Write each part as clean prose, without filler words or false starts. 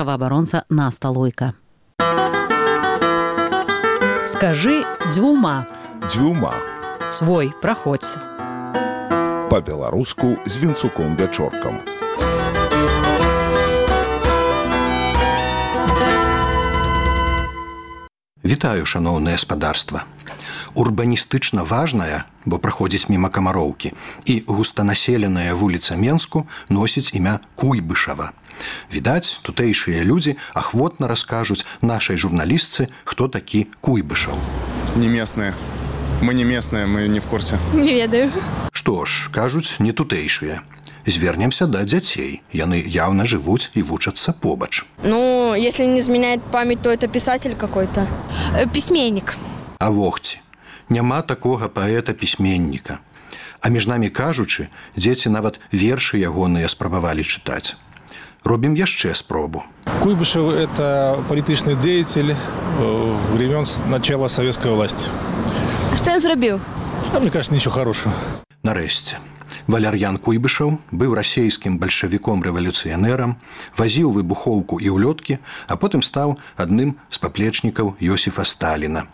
Праваабаронца Наста Лойка. Скажи дзвюма. Дзвюма. Свой, праходзь. Па-беларуску з Вінцуком-Вячоркам. Вітаю, шаноўнае спадарства. Урбаністычна важная, бо праходзіць міма Камароўкі, і густанаселеная вуліца Менску носіць імя Куйбышава. Відаць, тутэйшыя людзі ахвотна раскажуць нашай журналістцы, хто такі Куйбышаў. Не местные. Мы не местные, мы не в курсе. Не ведаю. Што ж, кажуць, не тутэйшыя. Звернемся да дзяцей. Яны явно жывуць і вучацца побач. Ну, если не изменяет память, то это писатель какой-то. Письменник. А вогці, няма такога паэта-пісьменніка. А між намі кажучы, дзеці нават вершы ягоныя спрабавалі чытаць. Робім яшчэ спробу. Куйбышев – это политичный деятель времен начала советской власти. А что я зрабіў? Мне кажется, ничего хорошего. Нарэшце. Валяр'ян Куйбышаў быў расейскім бальшавіком-рэвалюцыянерам, вазіў выбухоўку і ўлёткі, а потым стаў адным з паплечнікаў Йосіфа Сталіна.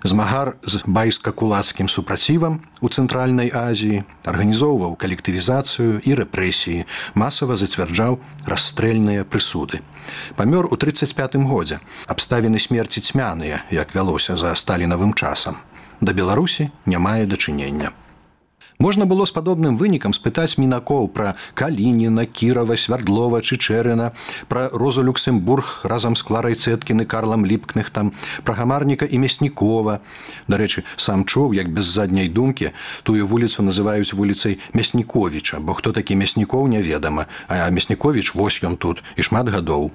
Змагар з байска-кулацкім супрацівам у Цэнтральнай Азіі, арганізоўваў калектывізацыю і рэпрэсіі, масава зацвярджаў расстрэльныя прысуды. Памёр у 35-м годзе. Абставіны смерці цьмяныя, як вялося за сталінавым часам. Да Беларусі не мае дачынення. Можна было з падобным вынікам спытаць мінакоў пра Калініна, Кірава, Свярдлова, Чычэрына, пра Розу Люксембург разам з Кларай Цэткін і Карлам Ліпкнехтам, пра Гамарніка і Мяснікова. Дарэчы, сам чуў, як без задняй думкі тую вуліцу называюць вуліцай Мясніковіча, бо хто такі Мяснікоў неведама, а Мясніковіч вось ён тут і шмат гадоў.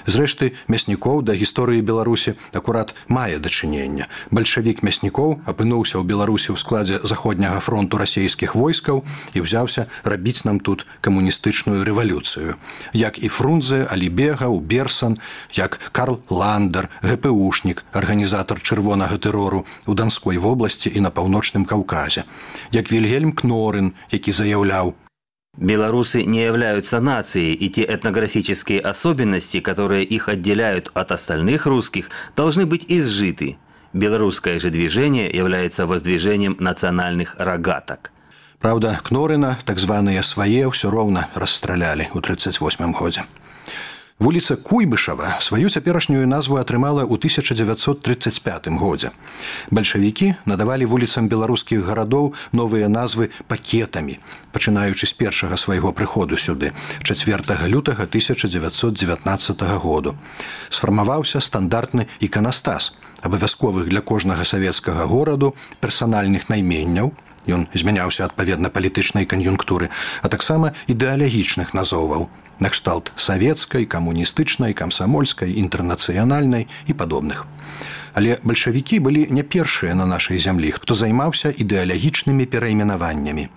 Зрэшты, Мяснікоў да гісторыі Беларусі акурат мае дачынення. Бальшавік Мяснікоў апынуўся ў Беларусі ў складзе Заходняга фронту расейскіх войскаў і ўзяўся рабіць нам тут камуністычную рэвалюцыю. Як і Фрунзе, Алібегаў, Берсан, як Карл Ландер, ГПУшнік, арганізатар чырвонага тэрору ў Данской вобласці і на Паўночным Каўказе. Як Вільгельм Кнорын, які заяўляў: белорусы не являются нацией, и те этнографические особенности, которые их отделяют от остальных русских, должны быть изжиты. Белорусское же движение является воздвижением национальных рогаток. Правда, Кнорына, так званыя свае, ўсё роўна расстралялі ў 38-м годзе. Вуліца Куйбышава сваю цяперашнюю назву атрымала ў 1935 годзе. Бальшавікі надавалі вуліцам беларускіх гарадоў новыя назвы пакетамі, пачынаючы з першага свайго прыходу сюды, 4 лютага 1919 году. Сфармаваўся стандартны іканастас, абавязковых для кожнага савецкага гораду персанальных найменняў, ён змяняўся адпаведна палітычнай кан'юнктуры, а таксама ідэалагічных назоваў, накшталт савецкай, камуністычнай, камсамольскай, інтэрнацыянальнай і падобных. Але бальшавікі былі не першыя на нашай зямлі, хто займаўся ідэалагічнымі перайменаваннямі.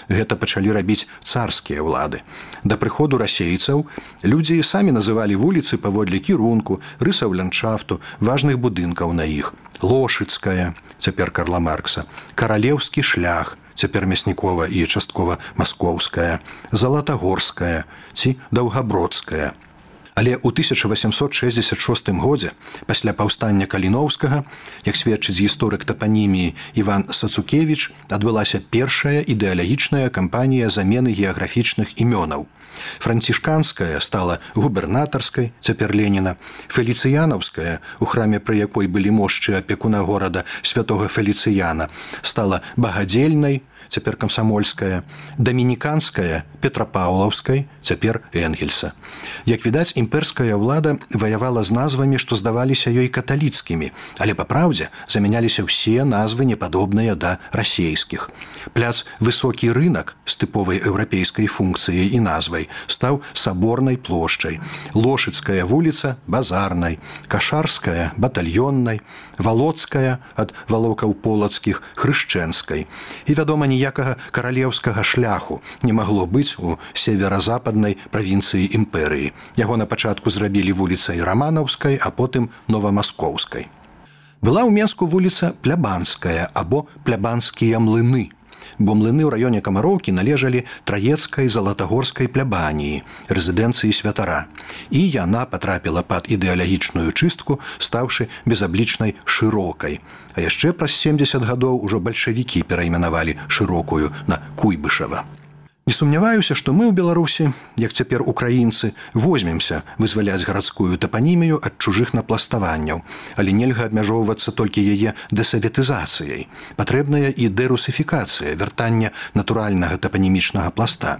Гэта пачалі рабіць царскія ўлады. Да прыходу расейцаў людзі самі называлі вуліцы паводле кірунку, рысаў ландшафту, важных будынкаў на іх. Лошыцкая, цяпер Карла Маркса, Каралеўскі шлях, цяпер Мяснікова і часткова Маскоўская, Залатагорская ці Даўгабродская. Але ў 1866 годзе, пасля паўстання Каліноўскага, як сведчыць гісторык тапаніміі Іван Сацукевіч, адбылася першая ідэалагічная кампанія замены геаграфічных імёнаў. Францішканская стала губернатарскай, цяпер Леніна, Феліцыянаўская, у храме пры якой былі мошчы апекуна горада святога Феліцыяна, стала Багадзельнай, цяпер Камсамольская, Дамініканская, Петрапаўлаўскай, цяпер Энгельса. Як відаць, імперская ўлада ваявала з назвамі, што здаваліся ёй каталіцкімі, але па праўдзе замяняліся ўсе назвы непадобныя да расейскіх. Пляц Высокі рынак з тыповай еўрапейскай функцыяй і назвай стаў Саборнай плошчай, Лошыцкая вуліца Базарнай, Кашарская батальённай, Валоцкая ад валокаў полацкіх Хрышчэнскай. І, вядома, ніякага каралеўскага шляху не магло быць у северазападнай правінцыі імперыі. Яго на пачатку зрабілі вуліцай Раманаўскай, а потым Новамаскоўскай. Была ў Менску вуліца Плябанская або Плябанскія млыны. бо млыны ў раёне Камароўкі належалі траецкай залатагорскай плябаніі, рэзідэнцыі святара. І яна патрапіла пад ідэалагічную чыстку, стаўшы безаблічнай шырокай. А яшчэ праз 70 гадоў ужо бальшавікі перайменавалі шырокую на Куйбышава. Не сумняваюся, што мы ў Беларусі, як цяпер украінцы, возьмемся вызваляць гарадскую тапанімію ад чужых напластаванняў, але нельга абмяжоўвацца толькі яе дэсаветызацыяй. Патрэбная і дэрусіфікацыя, вяртання натуральнага тапанімічнага пласта.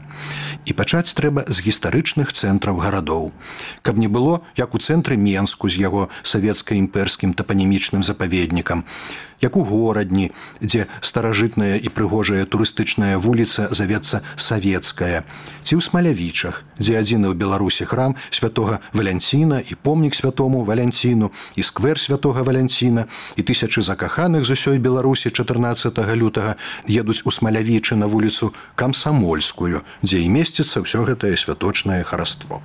І пачаць трэба з гістарычных цэнтраў гарадоў. Каб не было, як у цэнтры Менску з яго савецка-імперскім тапанімічным запаведнікам, як у горадні, дзе старажытная і прыгожая турыстычная вуліца завецца Савецкая, ці ў Смалявічах, дзе адзіны ў Беларусі храм святога Валянціна і помнік святому Валянціну, і сквер святога Валянціна, і тысячы закаханых з усёй Беларусі 14 лютага едуць у Смалявічы на вуліцу Камсамольскую, дзе і месціцца ўсё гэтае святочнае хараство.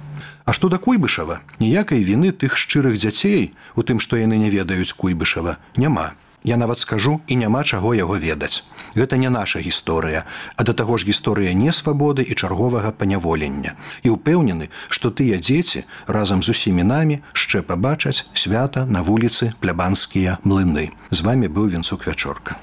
А што да Куйбышава, ніякай віны тых шчырых дзяцей у тым, што яны не ведаюць Куйбышава, няма. Я нават скажу, і няма чаго яго ведаць. Гэта не наша гісторыя, а да таго ж гісторыя несвабоды і чарговага паняволення. І ўпэўнены, што тыя дзеці разам з усімі намі яшчэ пабачаць свята на вуліцы Плябанскія млыны. З вамі быў Вінцук Вячорка.